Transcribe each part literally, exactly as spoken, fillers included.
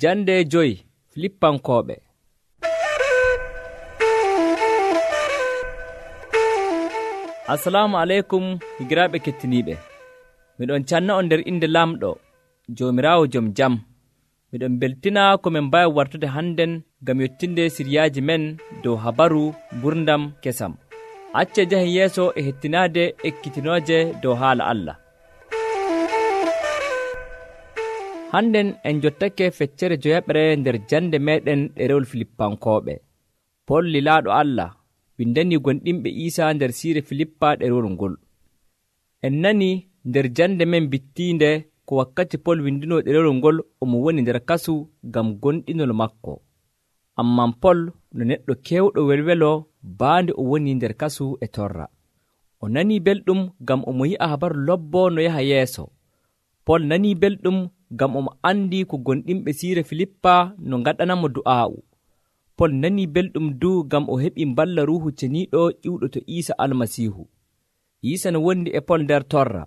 Jande joyi Filippankooɓe. Assalamu aleykum higiraaɓe kettiniiɓe. Miɗon canna on nder inde Lamɗo Joomiraawo jom jam. Miɗon beltina ko min mbaawi wartude hannden ngam yettinde siryaaji men dow habaru gurdam kesam. Acce njahen yeeso e hettinaade ekkitinooje dow haala Allah. Hannden en jottake feccere joyaɓre nder jande meɗen ɗerewol Filippankooɓe. Pol lilaaɗo Allah windani gonɗinɓe Iisa nder siire Filippa ɗerewol ngol. En nani nder jande men bittiinde ko wakkati Pol windino ɗerewol ngol omo woni nder kasu ngam gonɗinol makko. Amman Pol no neɗɗo kewɗo welwelo baande o woni nder kasu e torra. O nani belɗum ngam omo yi'a habaru lobbo no yaha yeeso. Pol nani belɗum ngam omo andi ko gonɗinɓe siire Filippa no ngaɗanamo du'aa'u. Pol nani belɗum du ngam o heɓi mballa Ruuhu Ceniiɗo ƴiwɗo to Iisa Almasiihu. Iisa no wondi e Pol nder torra.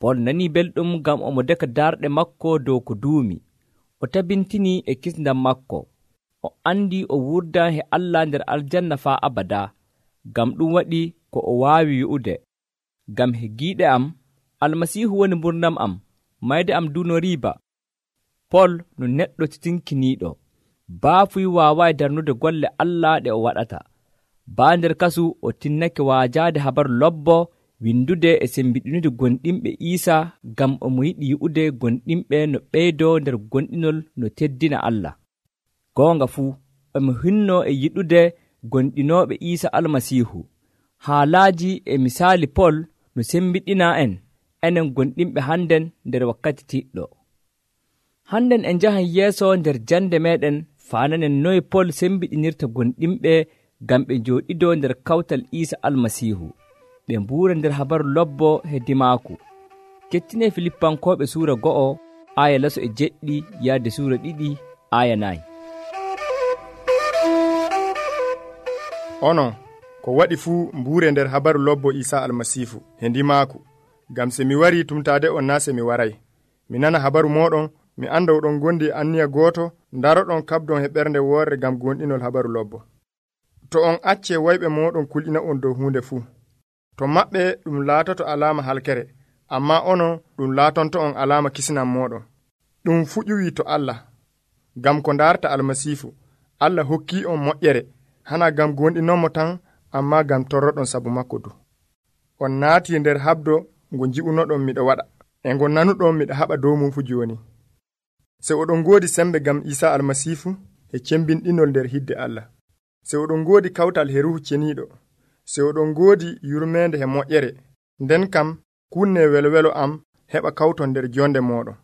Pol nani belɗum ngam omo deka darɗe makko dow ko duumi. O tabintini e kisndam makko. O andi o wurda he Allah nder aljanna faa abada. Ngam ɗum waɗi ko o waawi wi'ude: ngam he giiɗe am, Almasiihu woni mburnam am, mayde am du no riiba. Pol no neɗɗo titinkiniiɗo. Baafuy waawaay darnude golle Allah ɗe o waɗata. Baa nder kasu o tinnake waajaade habaru lobbo, windude e sembiɗinude gonɗinɓe Iisa ngam omo yiɗi yi'ude gonɗinɓe no ɓeydoo nder gonɗinol no teddina Allah. Goonga fuu, omo hinno e yiɗude gonɗinooɓe Iisa Almasiihu. Haalaaji e misaali Pol no sembiɗina en, enen gonɗinɓe hannden nder wakkati tiɗɗo. Hannden en njahan yeeso nder jande meɗen faananen noye Pol sembiɗinirta gonɗinɓe ngam ɓe njooɗidoo nder kawtal Iisa Almasiihu, ɓe mbuura nder habaru lobbo hedimaaku. Kettine Filippankooɓe suura go'o aaya laso e jeɗɗi yaade suura ɗiɗi aaya nayi. Onon ko waɗi fuu mbuure nder habaru lobbo Iisa Almasiihu hedimaaku, ngam se mi warii tumtaade on naa se mi waray. Mi nana habaru mooɗon, mi anda oɗon gondi e anniya gooto, ndaroɗon kabdon he ɓernde woorre ngam gonɗinol habaru lobbo. To on acce wayɓe mooɗon kulɗina on dow huunde fuu, to maɓɓe ɗum laatoto alaama halkere, amma onon ɗum laatonto on alaama kisnam mooɗon. Ɗum fuu ƴuwii to Allah, ngam ko ndaarta Almasiihu, Allah hokkii on moƴƴere, hana ngam gonɗinonmo tan, amma ngam torroɗon sabu makko du. On naatii nder habdo ngo nji'unoɗon miɗo waɗa, e ngo nanuɗon miɗo haɓa dow mum fu jooni. Se oɗon ngoodi sembe ngam Iisa Almasiihu e cembinɗinol nder hidde Allah. Se oɗon ngoodi kawtal he Ruuhu Ceniiɗo. Se oɗon ngoodi yurmeende he moƴƴere. Nden kam kunne welwelo am heɓa kawton nder jonde mooɗon.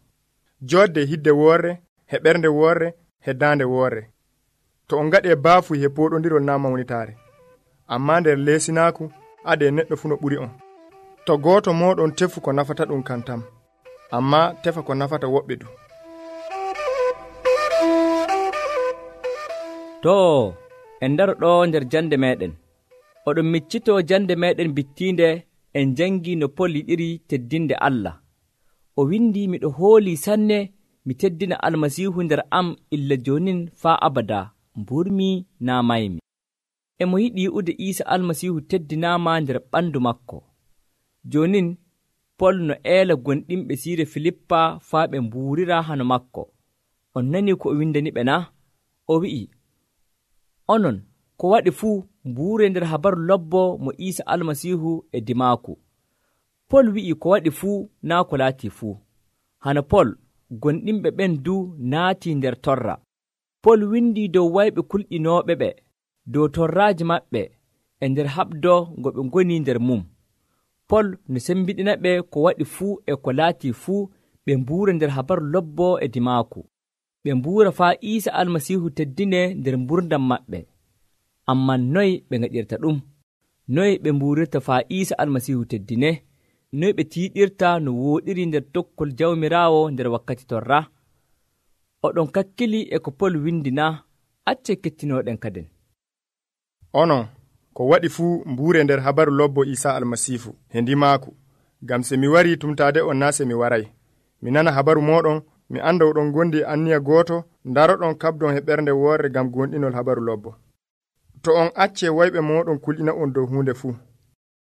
Joodde hidde woorre, he ɓernde woorre, he daande woorre. To on ngaɗe baafuy he pooɗondirol naa mawnitaare. Amma nder leesinaaku ade neɗɗo fu no ɓuri on. To gooto mooɗon tefu ko nafata ɗum kan tam, amma tefa ko nafata woɓɓe du. Too, en ndaro ɗo nder jande meɗen. Oɗon miccito jande meɗen bittiinde en jangi no Pol yiɗiri teddinde Allah. O windi, miɗo hooli sanne mi teddina Almasiihu nder am illa jonin faa abada, mburmi naa maymi. Emo yiɗi yi'ude Iisa Almasiihu teddinaama nder ɓandu makko. Jonin Pol no eela gonɗinɓe siire Filippa faa ɓe mbuurira hano makko. On nani ko o windani ɓe na? O wi'i, onon ko waɗi fuu mbuure nder habaru lobbo mo Iisa Almasiihu e dimaaku. Pol wi'i ko waɗi fuu naa ko laati fuu. Hana Pol gonɗinɓe ɓen du naati nder torra. Pol windi dow wayɓe kulɗinooɓe ɓe, dow torraaji maɓɓe e nder haɓdo ngo ɓe ngoni nder mum. Pol no sembiɗina ɓe ko waɗi fuu e ko laati fuu ɓe mbuura nder habaru lobbo e dimaaku. Ɓe mbuura faa Iisa Almasiihu teddine nder mburdam maɓɓe. Amman noy ɓe ngaɗirta ɗum? Noy ɓe mbuurirta faa Iisa Almasiihu teddine? Noy ɓe tiiɗirta no wooɗiri nder tokkol Jawmiraawo nder wakkati torra? Oɗon kakkili e ko Pol windina, acce kettinoɗen kaden. Onon ko waɗi fuu mbuure nder habaru lobbo Iisa Almasiihu he ndimaaku, ngam se mi warii tumtaade on naa se mi waray. Mi nana habaru mooɗon, mi anda oɗon gondi anniya gooto daroɗon kabdon he ɓernde woore gam gonɗinol habaru lobbo. To on acce wayɓe moɗon kulɗina on dow hunde fuu,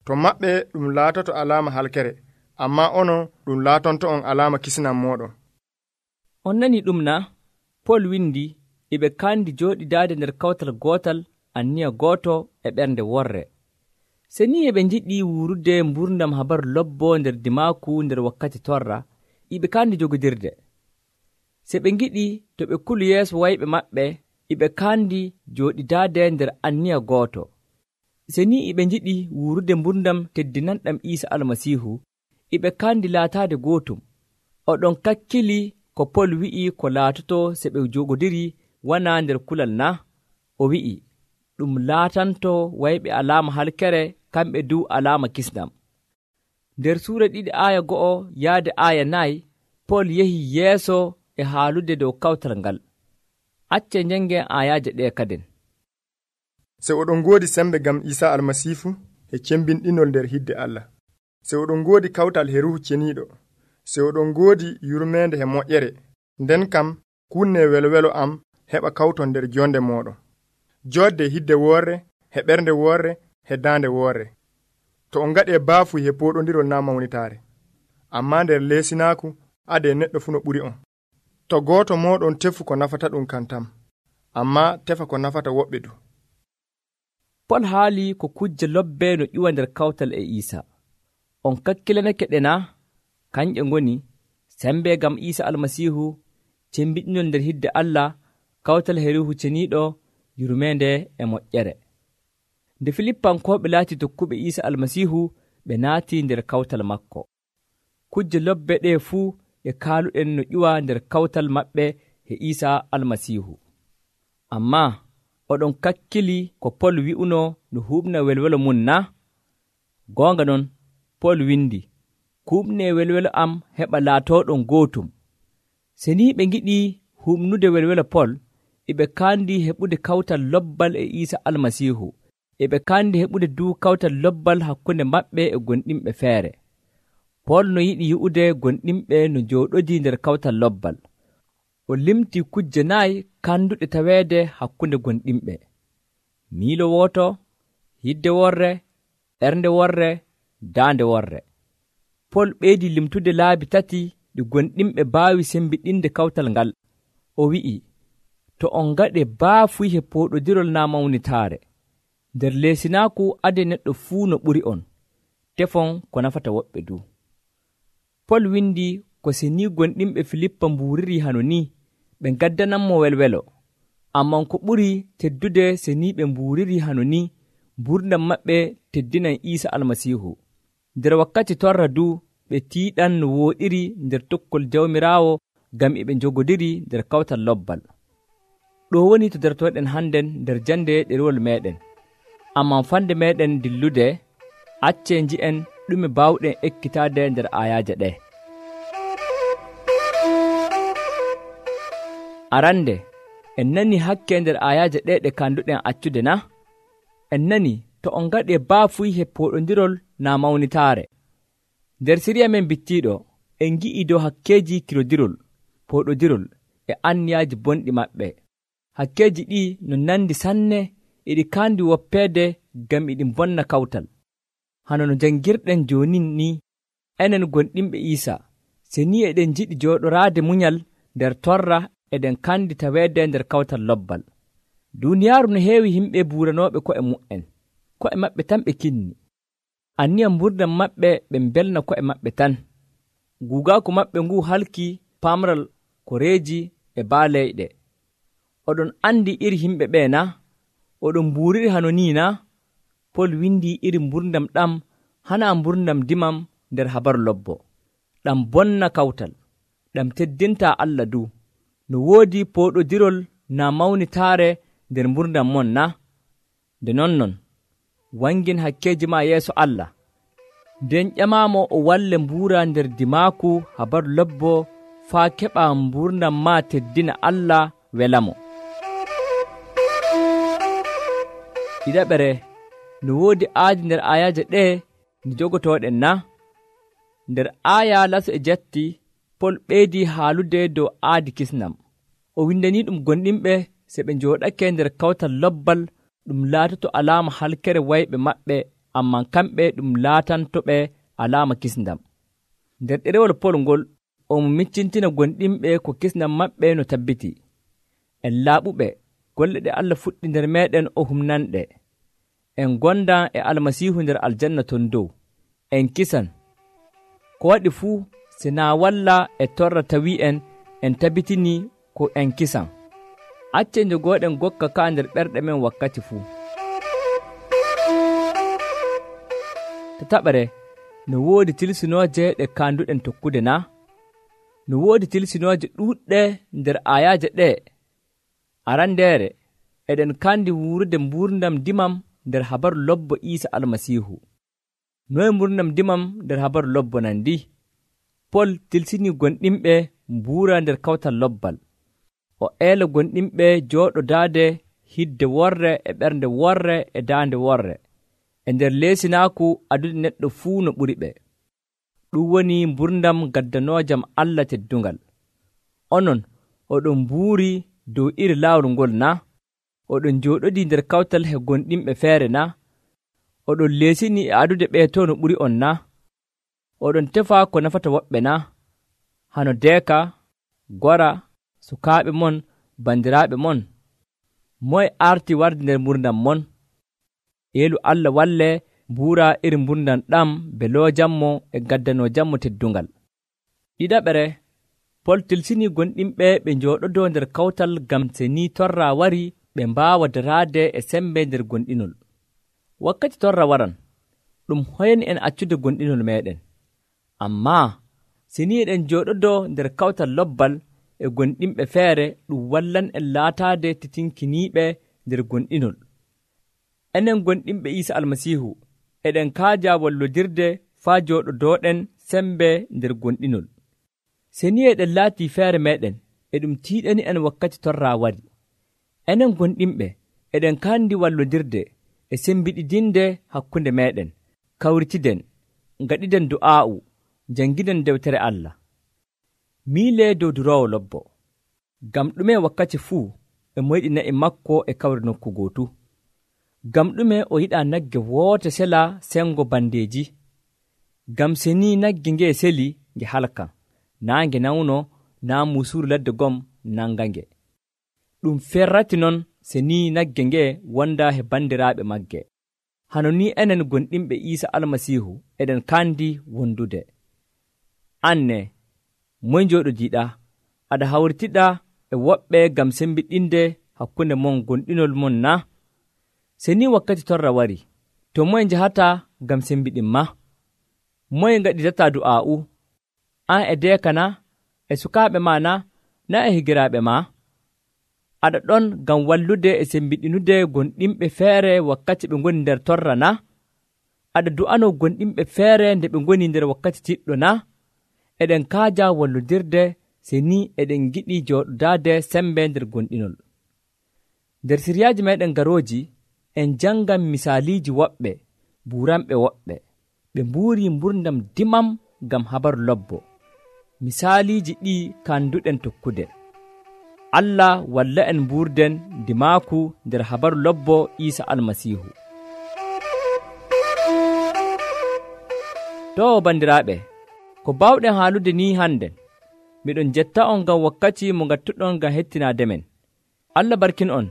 to maɓɓe ɗum laatoto alama halkere, amma onon ɗum laatonto on alama kisinan moɗon. On nani ɗum na? Pol windi iɓe kandi jooɗidaade nder kawtal gootal anniya gooto e ɓernde worre. Se ni eɓe njiɗi wurude mburdam habaru lobbo nder dimaaku nder wakkati torra, iɓe kandi jogodirde. Se ɓe ngiɗi to ɓe kulu yeeso wayɓe maɓɓe, iɓe kandi jooɗidaade nder anniya gooto. Se ni iɓe njiɗi wurude mburdam teddinanɗam Iisa Almasiihu, iɓe kandi laataade gootum. Oɗon kakkili ko Pol wi'i ko laatoto se ɓe jogodiri wana nder kulal na? O wi'i ɗum laatanto wayɓe alama halkere, kamɓe du alama kisnam. Nder suura ɗiɗi aya go'o yaade aya nayi, Pol yehi yeeso e haalude dow kawtal ngal. Acce njangen ayaje ɗe kaden. Se oɗon ngoodi sembe gam Iisa Almasiifu e cembinɗinol nder hidde Allah. Se oɗon ngoodi kawtal he Ruhu Ceniiɗo. Se oɗon ngoodi yurmende he moƴƴere, nden kam kunne welwelo am heɓa kawton nder jonde moɗon. Jodde hidde woorre, he ɓernde woorre, he daande woorre. To on ngaɗe baafu he poɗondirol na mawnitaare, amma nder leesinaaku ade neɗɗo fu no ɓuri on. To gooto moɗon tefu ko nafata ɗum kan tam, amma tefa ko nafata woɓɓe du. Pol haali ko kujje lobbe no ƴuwa nder kawtal e Iisa. On kakkilanake ɗe na? Kanƴe ngoni sembe gam Iisa Almasiihu, cembiɗinol nder hidde Allah, kawtal he Ruhu Ceniiɗo, yurmende e moƴƴere. Nde Filippankoɓe laati tokkuɓe Iisa Almasiihu, ɓe naati nder kawtal makko. Kujje lobbe ɗe fuu e kaaluɗen no ƴuwa nder kawtal maɓɓe he Iisa Almasiihu. Amma oɗon kakkili ko Pol wi'uno no huɓna welwelo mum na? Goonga non, Pol windi kuɓne welwelo am heɓa laatoɗon gootum. Se ni ɓe ngiɗi huɓnude welwelo Pol, eɓe kandi heɓude kawtal lobbal e Iisa Almasiihu, eɓe kandi heɓude du kawtal lobbal hakkunde maɓɓe e gonɗinɓe feere. Pol no yiɗi yi'ude gonɗinɓe no jooɗodi nder kawtal lobbal. O limti kujje nayi kanduɗe taweede hakkunde gonɗinɓe: miilo wooto, hidde worre, ɓernde worre, daande worre. Pol ɓeydi limtude laabi tati ɗi gonɗinɓe baawi sembiɗinde kawtal ngal. O wi'i to on ngaɗe baafuy he poɗodirol na mawnitaare, nder leesinaaku ade neɗɗo fuu no ɓuri on, tefon ko nafata woɓɓe du. Pol windi ko se ni gonɗinɓe Filippa mbuuriri hano ni, ɓe gaddananmo welwelo. Amman ko ɓuri teddude se ni ɓe mbuuriri hano ni, mburdam maɓɓe teddinan Iisa Almasiihu. Nder wakkati torra du ɓe tiiɗan no wooɗiri nder tokkol Jawmiraawo ngam eɓe njogodiri nder kawtal lobbal. Ɗo woni to dartoɗen hannden nder jande ɗerewol meɗen. Amman fande meɗen dillude, acce nji'en ɗume baawɗen ekkitaade nder ayaje ɗe. Arande, en nani hakke nder ayaje ɗe ɗe kanduɗen accude na? En nani to on ngaɗe baafuy he poɗondirol na mawnitaare. Nder siriya men bittiɗo, en gi'i dow hakkeji kirodirol, poɗodirol e anniyaaji bonɗi maɓɓe. Hakkeji ɗi no nandi sanne, eɗi kandi woppeede ngam eɗi bonna kawtal. Hano no jangirɗen joni ni, enen gonɗinɓe Iisa, se ni eɗen jiɗi jooɗoraade munyal nder torra, eɗen kandi taweede nder kawtal lobbal. Duniyaaru no heewi himɓe buuranooɓe ko'e mu'en, ko'e maɓɓe tan ɓe kinni. Anniya mburdam maɓɓe ɓe mbelna ko'e maɓɓe tan. Guugaaku maɓɓe ngu halki pamral ko reeji e baaleyɗe. Oɗon andi iri himɓe ɓe na? Oɗon mbuuriri hano ni na? Pol windi iri mburdam ɗam hana mburdam dimam nder habaru lobbo. Ɗam bonna kawtal, ɗam teddinta Allah du. No woodi poɗodirol na mawnitaare nder mburdam mon na? Nde non non, wangin hakkeji ma yeeso Allah. Nden ƴamamo o walle mbuura nder dimaaku habaru lobbo faa keɓa mburdam ma teddina Allah welamo. Ɗiɗaɓere, no woodi aadi nder ayaje ɗe ndi jogotoɗen na? Nder aya laso e jatti, Pol ɓeydii haalude dow aadi kisnam. O windanii ɗum gonɗinɓe se ɓe njooɗake nder kawtal lobbal ɗum laatoto alaama halkere wayɓe maɓɓe, amman kamɓe ɗum laatantoɓe alaama kisndam. Nder ɗerewol Pol ngol, o mo miccintina gonɗinɓe ko kisnam maɓɓe no tabbiti. En laaɓuɓe, golle ɗe Allah fuɗɗi nder meeɗen o humnanɗe. En gonda e Almasiihu nder aljanna ton dow. En kisan. Ko waɗi fuu sinaa walla e torra tawi en en tabitini ko en kisan. Acce njogooɗen gokka ka nder ɓerɗe men wakkati fuu. Tataɓere, no woodi tilsinooje ɗe kaanduɗen tokkude na? No woodi tilsinooje ɗuuɗɗe nder ayaaje ɗee. Arandeere, eɗen kandi wuurde mbuurdam dimam nder habaru lobbo Iisa Almasiihu. Noye mbuurdam dimam nder habaru lobbo nandi? Pol tilsinii gonɗinɓe mbuura nder kawtal lobbal. O eela gonɗinɓe jooɗodaade hidde worre e ɓernde worre e daande worre, e nder leesinaaku adude neɗɗo fuu no ɓuri ɓe. Ɗum woni mbuurdam gaddanoojam Allah teddungal. Onon, oɗon mbuuri dow iri laawol ngol na? Oɗon jooɗodii nder kawtal he gonɗinɓe feere na? Oɗon leesinii e adude ɓee to no ɓuri on na? Oɗon tefa ko nafata woɓɓe na? Hano deeka, gora, sukaaɓe mon, bandiraaɓe mon. Moye arti warde nder mbuurdam mon? Yeelu Allah walle mbuura iri mbuurdam ɗam beloojammo e gaddanojammo teddungal. Ɗiɗaɓere, Pol tilsinii gonɗinɓe ɓe njooɗodoo nder kawtal ngam se ni torra wari ɓe mbaawa daraade e sembe nder gonɗinol. Wakkati torra waran, ɗum hoyni en accude gonɗinol meeɗen. Ammaa se ni eɗen njooɗodoo nder kawtal lobbal e gonɗinɓe feere, ɗum wallan en laataade titinkiniiɓe nder gonɗinol. Enen gonɗinɓe Iisa Almasiihu eɗen kaaja wallodirde faa jooɗodooɗen sembe nder gonɗinol. Se ni eɗen laatii feere meeɗen, e ɗum tiiɗani en wakkati torra wari. Enen gonɗinɓe eɗen kaandi wallodirde e sembiɗidinde hakkunde meeɗen, kawritiden, ngaɗiden du'aa'u, janngiden dewtere Allah. Miilee dow duroowo lobbo. Ngam ɗume wakkati fuu e moyɗi na'i makko e kawri nokku gootu? Ngam ɗume o yiɗaa nagge woote sela sengo bandeeji? Ngam se ni nagge ngee seli nge halkan, naa nge nawno, naa muusuuru ladde gom nangange. Ɗum ferrati non se ni nagge ngee wonda he bandiraaɓe magge. Hano ni enen gonɗinɓe Iisa Almasiihu eɗen kandi wondude. Anne, moy njooɗodiiɗa? Aɗa hawritiɗa e woɓɓe ngam sembiɗinde hakkunde mon gonɗinol mon na? Se ni wakkati torra wari, to moye njahata ngam sembiɗin ma? Moye ngaɗitata du'aa'u? An e deeka na? E sukaaɓe ma na? Na e higiraaɓe ma? Aɗa ɗon ngam wallude e sembiɗinude gonɗinɓe feere wakkati ɓe ngoni nder torra na? Aɗa du'ano gonɗinɓe feere nde ɓe ngoni nder wakkati tiɗɗo na? Eɗen kaaja wallodirde se ni eɗen giɗi jooɗodaade sembe nder gonɗinol. Nder siryaaji meeɗen garooji, en jangan misaaliiji woɓɓe buuranɓe woɓɓe. Ɓe mbuuri mbuurdam dimam ngam habaru lobbo. Misaaliiji ɗi kanduɗen tokkude. Allah walla en mbuurden dimaaku nder habaru lobbo Iisa Almasiihu. To bandiraaɓe, ko baawɗen haalude ni hannden, miɗon jetta on ngam wakkati mo ngattuɗon ngam hettinaade men. Allah barkin on,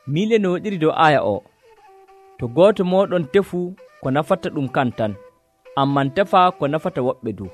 miile no waɗiri dow aaya o. To gooto mooɗon tefu ko nafata ɗum kan tan, amman tefa ko nafata woɓɓe du.